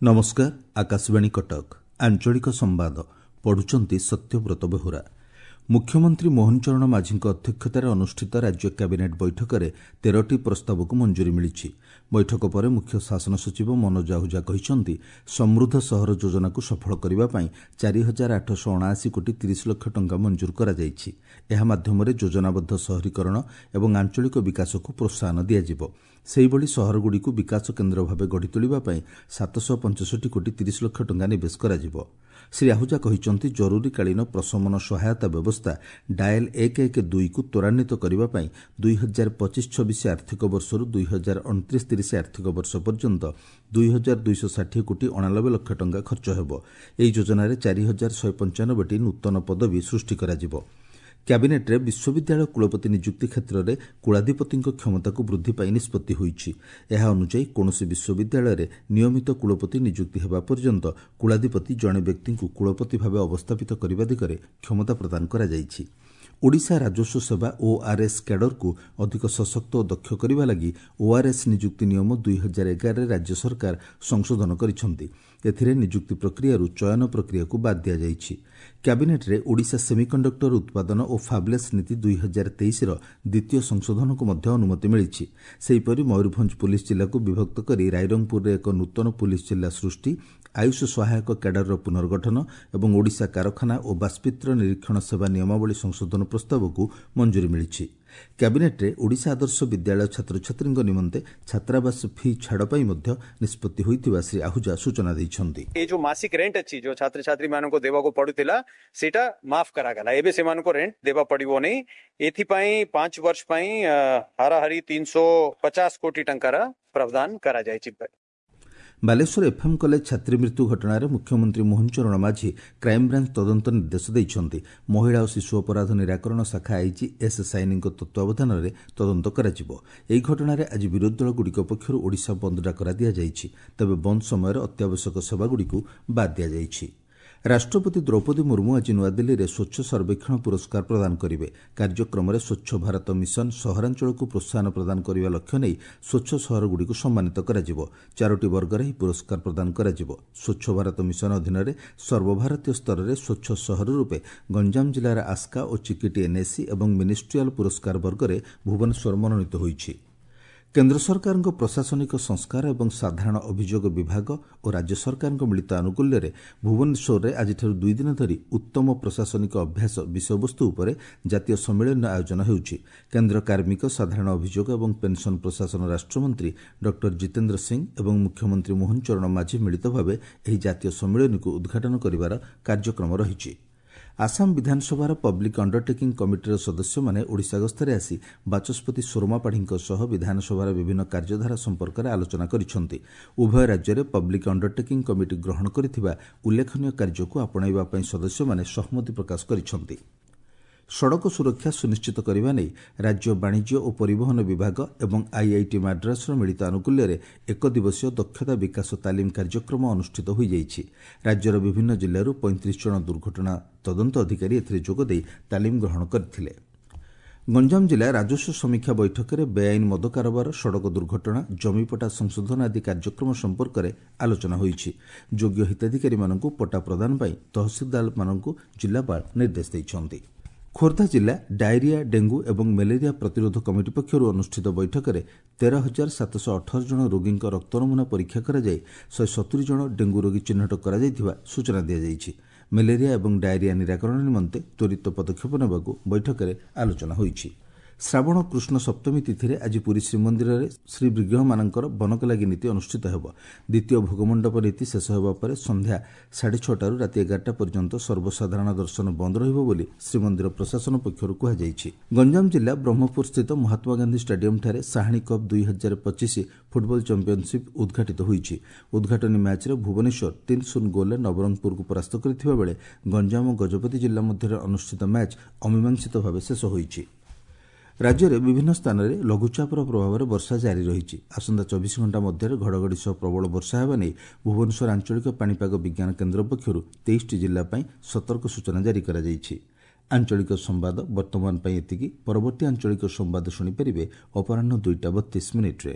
ନମସ୍କାର, ଆକାଶବାଣୀ କଟକ। ଆଞ୍ଚଳିକ ସମ୍ବାଦ ପଢୁଛନ୍ତି ସତ୍ୟବ୍ରତ ବେହୁରା। ମୁଖ୍ୟମନ୍ତ୍ରୀ ମୋହନ ଚରଣ ମାଝୀଙ୍କ ଅଧ୍ୟକ୍ଷତାରେ ଅନୁଷ୍ଠିତ ରାଜ୍ୟ କ୍ୟାବିନେଟ୍ ବୈଠକରେ 13ଟି ପ୍ରସ୍ତାବକୁ ମଞ୍ଜୁରୀ ମିଳିଛି। ବୈଠକ ପରେ ମୁଖ୍ୟ ଶାସନ ସଚିବ ମନୋଜ ଆହୁଜା କହିଛନ୍ତି, ସମୃଦ୍ଧ ସହର ଯୋଜନାକୁ ସଫଳ କରିବା ପାଇଁ 4879 କୋଟି 30 ଲକ୍ଷ ଟଙ୍କା ମଞ୍ଜୁର କରାଯାଇଛି। ଏହା ମାଧ୍ୟମରେ ଯୋଜନାବଦ୍ଧ ସହରୀକରଣ ଏବଂ ଆଞ୍ଚଳିକ ବିକାଶକୁ ପ୍ରୋତ୍ସାହନ ଦିଆଯିବ। ସେହିଭଳି ସହରଗୁଡ଼ିକୁ ବିକାଶ କେନ୍ଦ୍ର ଭାବେ ଗଢ଼ି ତୋଳିବା ପାଇଁ 765 କୋଟି 30 ଲକ୍ଷ ଟଙ୍କା ନିବେଶ କରାଯିବ। ଶ୍ରୀ ଆହୁଜା କହିଛନ୍ତି, ଜରୁରୀକାଳୀନ ପ୍ରଶମନ ସହାୟତା ବ୍ୟବସ୍ଥା ଡାଏଲ୍ 112କୁ ତ୍ୱରାନ୍ୱିତ କରିବା ପାଇଁ 2025-26 ଆର୍ଥିକ ବର୍ଷରୁ 2029-30 ଆର୍ଥିକ ବର୍ଷ ପର୍ଯ୍ୟନ୍ତ 2260 କୋଟି 89 ଲକ୍ଷ ଟଙ୍କା ଖର୍ଚ୍ଚ ହେବ। ଏହି ଯୋଜନାରେ 4195ଟି ନୂତନ ପଦବୀ ସୃଷ୍ଟି କରାଯିବ। କ୍ୟାବିନେଟ୍ରେ ବିଶ୍ୱବିଦ୍ୟାଳୟ କୁଳପତି ନିଯୁକ୍ତି କ୍ଷେତ୍ରରେ କୁଳାଧିପତିଙ୍କ କ୍ଷମତାକୁ ବୃଦ୍ଧି ପାଇଁ ନିଷ୍ପତ୍ତି ହୋଇଛି। ଏହା ଅନୁଯାୟୀ କୌଣସି ବିଶ୍ୱବିଦ୍ୟାଳୟରେ ନିୟମିତ କୁଳପତି ନିଯୁକ୍ତି ହେବା ପର୍ଯ୍ୟନ୍ତ କୁଳାଧିପତି ଜଣେ ବ୍ୟକ୍ତିଙ୍କୁ କୁଳପତି ଭାବେ ଅବସ୍ଥାପିତ କରିବା ଦିଗରେ କ୍ଷମତା ପ୍ରଦାନ କରାଯାଇଛି। ଓଡ଼ିଶା ରାଜସ୍ୱ ସେବା ଓଆର୍ଏସ୍ କ୍ୟାଡରକୁ ଅଧିକ ସଶକ୍ତ ଓ ଦକ୍ଷ କରିବା ଲାଗି ଓଆର୍ଏସ୍ ନିଯୁକ୍ତି ନିୟମ 2011ରେ ରାଜ୍ୟ ସରକାର ସଂଶୋଧନ କରିଛନ୍ତି। ଏଥିରେ ନିଯୁକ୍ତି ପ୍ରକ୍ରିୟାରୁ ଚୟନ ପ୍ରକ୍ରିୟାକୁ ବାଦ୍ ଦିଆଯାଇଛି। କ୍ୟାବିନେଟ୍ରେ ଓଡ଼ିଶା ସେମିକଣ୍ଡକ୍ଟର ଉତ୍ପାଦନ ଓ ଫାବ୍ଲେସ୍ ନୀତି 2023ର ଦ୍ୱିତୀୟ ସଂଶୋଧନକୁ ମଧ୍ୟ ଅନୁମତି ମିଳିଛି। ସେହିପରି ମୟୂରଭଞ୍ଜ ପୁଲିସ୍ ଜିଲ୍ଲାକୁ ବିଭକ୍ତ କରି ରାଇରଙ୍ଗପୁରରେ ଏକ ନୂତନ ପୁଲିସ୍ ଜିଲ୍ଲା ସୃଷ୍ଟି, ଆୟୁଷ ସହାୟକ କ୍ୟାଡରର ପୁନର୍ଗଠନ ଏବଂ ଓଡ଼ିଶା କାରଖାନା ଓ ବାଷ୍ପିତ୍ର ନିରୀକ୍ଷଣ ସେବା ନିୟମାବଳୀ ସଂଶୋଧନ ପ୍ରସ୍ତାବକୁ ମଞ୍ଜୁରୀ ମିଳିଛି। କ୍ୟାବିନେଟ୍ରେ ଓଡ଼ିଶା ଆଦର୍ଶ ବିଦ୍ୟାଳୟ ଛାତ୍ରଛାତ୍ରୀଙ୍କ ନିମନ୍ତେ ଛାତ୍ରାବାସ ଫି ଛାଡ଼ ପାଇଁ ମଧ୍ୟ ନିଷ୍ପତ୍ତି ହୋଇଥିବା ଶ୍ରୀ ଆହୁଜା ସୂଚନା ଦେଇଛନ୍ତି। ଏ ଯୋଉ ମାସିକ ରେଣ୍ଟ ଅଛି, ଯୋଉ ଛାତ୍ରଛାତ୍ରୀ ମାନଙ୍କୁ ଦେବାକୁ ପଡୁଥିଲା, ସେଇଟା ମାଫ କରାଗଲା। ଏବେ ସେମାନଙ୍କୁ ରେଣ୍ଟ ଦେବା ପଡିବ ନାହିଁ। ଏଥିପାଇଁ 5 ବର୍ଷ ପାଇଁ ହାରାହାରି 350 କୋଟି ଟଙ୍କାର ପ୍ରାବଧାନ କରାଯାଇଛି। ବାଲେଶ୍ୱର ଏଫ୍ଏମ୍ କଲେଜ ଛାତ୍ରୀ ମୃତ୍ୟୁ ଘଟଣାରେ ମୁଖ୍ୟମନ୍ତ୍ରୀ ମୋହନ ଚରଣ ମାଝୀ କ୍ରାଇମବ୍ରାଞ୍ଚ ତଦନ୍ତ ନିର୍ଦ୍ଦେଶ ଦେଇଛନ୍ତି। ମହିଳା ଓ ଶିଶୁ ଅପରାଧ ନିରାକରଣ ଶାଖା ଆଇଜି ଏସ୍ ସାଇନିଙ୍କ ତତ୍ତ୍ୱାବଧାନରେ ତଦନ୍ତ କରାଯିବ। ଏହି ଘଟଣାରେ ଆଜି ବିରୋଧୀ ଦଳଗୁଡ଼ିକ ପକ୍ଷରୁ ଓଡ଼ିଶା ବନ୍ଦ ଡାକରା ଦିଆଯାଇଛି। ତେବେ ବନ୍ଦ ସମୟରେ ଅତ୍ୟାବଶ୍ୟକ ସେବାଗୁଡ଼ିକୁ ବାଦ୍ ଦିଆଯାଇଛି। ରାଷ୍ଟ୍ରପତି ଦ୍ରୌପଦୀ ମୁର୍ମୁ ଆଜି ନୂଆଦିଲ୍ଲୀରେ ସ୍ୱଚ୍ଛ ସର୍ବେକ୍ଷଣ ପୁରସ୍କାର ପ୍ରଦାନ କରିବେ। କାର୍ଯ୍ୟକ୍ରମରେ ସ୍ୱଚ୍ଛ ଭାରତ ମିଶନ ସହରାଞ୍ଚଳକୁ ପ୍ରୋତ୍ସାହନ ପ୍ରଦାନ କରିବା ଲକ୍ଷ୍ୟ ନେଇ ସ୍ୱଚ୍ଛ ସହରଗୁଡ଼ିକୁ ସମ୍ମାନିତ କରାଯିବ। 4ଟି ବର୍ଗରେ ଏହି ପୁରସ୍କାର ପ୍ରଦାନ କରାଯିବ। ସ୍ୱଚ୍ଛ ଭାରତ ମିଶନ ଅଧୀନରେ ସର୍ବଭାରତୀୟ ସ୍ତରରେ ସ୍ୱଚ୍ଛ ସହର ରୂପେ ଗଞ୍ଜାମ ଜିଲ୍ଲାର ଆସ୍କା ଓ ଚିକିଟି ଏନ୍ଏସି ଏବଂ ମିନିଷ୍ଟ୍ରିଆଲ ପୁରସ୍କାର ବର୍ଗରେ ଭୁବନେଶ୍ୱର ମନୋନୀତ ହୋଇଛି। କେନ୍ଦ୍ର ସରକାରଙ୍କ ପ୍ରଶାସନିକ ସଂସ୍କାର ଏବଂ ସାଧାରଣ ଅଭିଯୋଗ ବିଭାଗ ଓ ରାଜ୍ୟ ସରକାରଙ୍କ ମିଳିତ ଆନୁକୂଲ୍ୟରେ ଭୁବନେଶ୍ୱରରେ ଆଜିଠାରୁ 2 ଦିନ ଧରି ଉତ୍ତମ ପ୍ରଶାସନିକ ଅଭ୍ୟାସ ବିଷୟବସ୍ତୁ ଉପରେ ଜାତୀୟ ସମ୍ମିଳନୀର ଆୟୋଜନ ହେଉଛି। କେନ୍ଦ୍ର କାର୍ମିକ, ସାଧାରଣ ଅଭିଯୋଗ ଏବଂ ପେନ୍ସନ୍ ପ୍ରଶାସନ ରାଷ୍ଟ୍ରମନ୍ତ୍ରୀ ଡକ୍ଟର ଜିତେନ୍ଦ୍ର ସିଂ ଏବଂ ମୁଖ୍ୟମନ୍ତ୍ରୀ ମୋହନ ଚରଣ ମାଝୀ ମିଳିତ ଭାବେ ଏହି ଜାତୀୟ ସମ୍ମିଳନୀକୁ ଉଦ୍ଘାଟନ କରିବାର କାର୍ଯ୍ୟକ୍ରମ ରହିଛି। ଆସାମ ବିଧାନସଭାର ପବ୍ଲିକ୍ ଅଣ୍ଡରଟେକିଂ କମିଟିର ସଦସ୍ୟମାନେ ଓଡ଼ିଶା ଗସ୍ତରେ ଆସି ବାଚସ୍ପତି ସୁରମା ପାଢ଼ୀଙ୍କ ସହ ବିଧାନସଭାର ବିଭିନ୍ନ କାର୍ଯ୍ୟଧାରା ସମ୍ପର୍କରେ ଆଲୋଚନା କରିଛନ୍ତି। ଉଭୟ ରାଜ୍ୟରେ ପବ୍ଲିକ୍ ଅଣ୍ଡରଟେକିଂ କମିଟି ଗ୍ରହଣ କରିଥିବା ଉଲ୍ଲେଖନୀୟ କାର୍ଯ୍ୟକୁ ଆପଣାଇବା ପାଇଁ ସଦସ୍ୟମାନେ ସହମତି ପ୍ରକାଶ କରିଛନ୍ତି। ସଡ଼କ ସୁରକ୍ଷା ସୁନିଶ୍ଚିତ କରିବା ନେଇ ରାଜ୍ୟ ବାଣିଜ୍ୟ ଓ ପରିବହନ ବିଭାଗ ଏବଂ ଆଇଆଇଟି ମାଡ୍ରାସର ମିଳିତ ଆନୁକୂଲ୍ୟରେ ଏକ ଦିବସୀୟ ଦକ୍ଷତା ବିକାଶ ତାଲିମ କାର୍ଯ୍ୟକ୍ରମ ଅନୁଷ୍ଠିତ ହୋଇଯାଇଛି। ରାଜ୍ୟର ବିଭିନ୍ନ ଜିଲ୍ଲାରୁ 35 ଜଣ ଦୁର୍ଘଟଣା ତଦନ୍ତ ଅଧିକାରୀ ଏଥିରେ ଯୋଗଦେଇ ତାଲିମ ଗ୍ରହଣ କରିଥିଲେ। ଗଞ୍ଜାମ ଜିଲ୍ଲା ରାଜସ୍ୱ ସମୀକ୍ଷା ବୈଠକରେ ବେଆଇନ ମଦ କାରବାର, ସଡ଼କ ଦୁର୍ଘଟଣା, ଜମିପଟା ସଂଶୋଧନ ଆଦି କାର୍ଯ୍ୟକ୍ରମ ସମ୍ପର୍କରେ ଆଲୋଚନା ହୋଇଛି। ଯୋଗ୍ୟ ହିତାଧିକାରୀମାନଙ୍କୁ ପଟ୍ଟା ପ୍ରଦାନ ପାଇଁ ତହସିଲଦାରମାନଙ୍କୁ ଜିଲ୍ଲାପାଳ ନିର୍ଦ୍ଦେଶ ଦେଇଛନ୍ତି। ଖୋର୍ଦ୍ଧା ଜିଲ୍ଲା ଡାଇରିଆ, ଡେଙ୍ଗୁ ଏବଂ ମ୍ୟାଲେରିଆ ପ୍ରତିରୋଧ କମିଟି ପକ୍ଷରୁ ଅନୁଷ୍ଠିତ ବୈଠକରେ 13,718 ଜଣ ରୋଗୀଙ୍କ ରକ୍ତ ନମୁନା ପରୀକ୍ଷା କରାଯାଇ 170 ଜଣ ଡେଙ୍ଗୁ ରୋଗୀ ଚିହ୍ନଟ କରାଯାଇଥିବା ସୂଚନା ଦିଆଯାଇଛି। ମ୍ୟାଲେରିଆ ଏବଂ ଡାଇରିଆ ନିରାକରଣ ନିମନ୍ତେ ତ୍ୱରିତ ପଦକ୍ଷେପ ନେବାକୁ ବୈଠକରେ ଆଲୋଚନା ହୋଇଛି। ଶ୍ରାବଣ କୃଷ୍ଣ ସପ୍ତମୀ ତିଥିରେ ଆଜି ପୁରୀ ଶ୍ରୀମନ୍ଦିରରେ ଶ୍ରୀବିଗ୍ରହମାନଙ୍କର ବନକଲାଗି ନୀତି ଅନୁଷ୍ଠିତ ହେବ। ଦ୍ୱିତୀୟ ଭୋଗମଣ୍ଡପ ନୀତି ଶେଷ ହେବା ପରେ ସନ୍ଧ୍ୟା 6:30ରୁ ରାତି 11ଟା ପର୍ଯ୍ୟନ୍ତ ସର୍ବସାଧାରଣ ଦର୍ଶନ ବନ୍ଦ ରହିବ ବୋଲି ଶ୍ରୀମନ୍ଦିର ପ୍ରଶାସନ ପକ୍ଷରୁ କୁହାଯାଇଛି। ଗଞ୍ଜାମ ଜିଲ୍ଲା ବ୍ରହ୍ମପୁର ସ୍ଥିତ ମହାତ୍ମାଗାନ୍ଧୀ ଷ୍ଟାଡିୟମଠାରେ ସାହାଣୀ କପ୍ 2025 ଫୁଟବଲ ଚାମ୍ପିୟନସିପ୍ ଉଦ୍ଘାଟିତ ହୋଇଛି। ଉଦ୍ଘାଟନୀ ମ୍ୟାଚ୍ରେ ଭୁବନେଶ୍ୱର 3-0 ଗୋଲ୍ରେ ନବରଙ୍ଗପୁରକୁ ପରାସ୍ତ କରିଥିବା ବେଳେ ଗଞ୍ଜାମ ଓ ଗଜପତି ଜିଲ୍ଲା ମଧ୍ୟରେ ଅନୁଷ୍ଠିତ ମ୍ୟାଚ୍ ଅମୀମାଂସିତ ଭାବେ ଶେଷ ହୋଇଛି। ରାଜ୍ୟରେ ବିଭିନ୍ନ ସ୍ଥାନରେ ଲଘୁଚାପର ପ୍ରଭାବରେ ବର୍ଷା ଜାରି ରହିଛି। ଆସନ୍ତା 24 ଘଣ୍ଟା ମଧ୍ୟରେ ଘଡ଼ଘଡ଼ି ସହ ପ୍ରବଳ ବର୍ଷା ହେବା ନେଇ ଭୁବନେଶ୍ୱର ଆଞ୍ଚଳିକ ପାଣିପାଗ ବିଜ୍ଞାନ କେନ୍ଦ୍ର ପକ୍ଷରୁ 23ଟି ଜିଲ୍ଲା ପାଇଁ ସତର୍କ ସୂଚନା ଜାରି କରାଯାଇଛି। ଆଞ୍ଚଳିକ ସମ୍ବାଦ ବର୍ତ୍ତମାନ ପାଇଁ ଏତିକି। ପରବର୍ତ୍ତୀ ଆଞ୍ଚଳିକ ସମ୍ବାଦ ଶୁଣିପାରିବେ ଅପରାହ୍ନ 2ଟା 32 ମିନିଟ୍ରେ।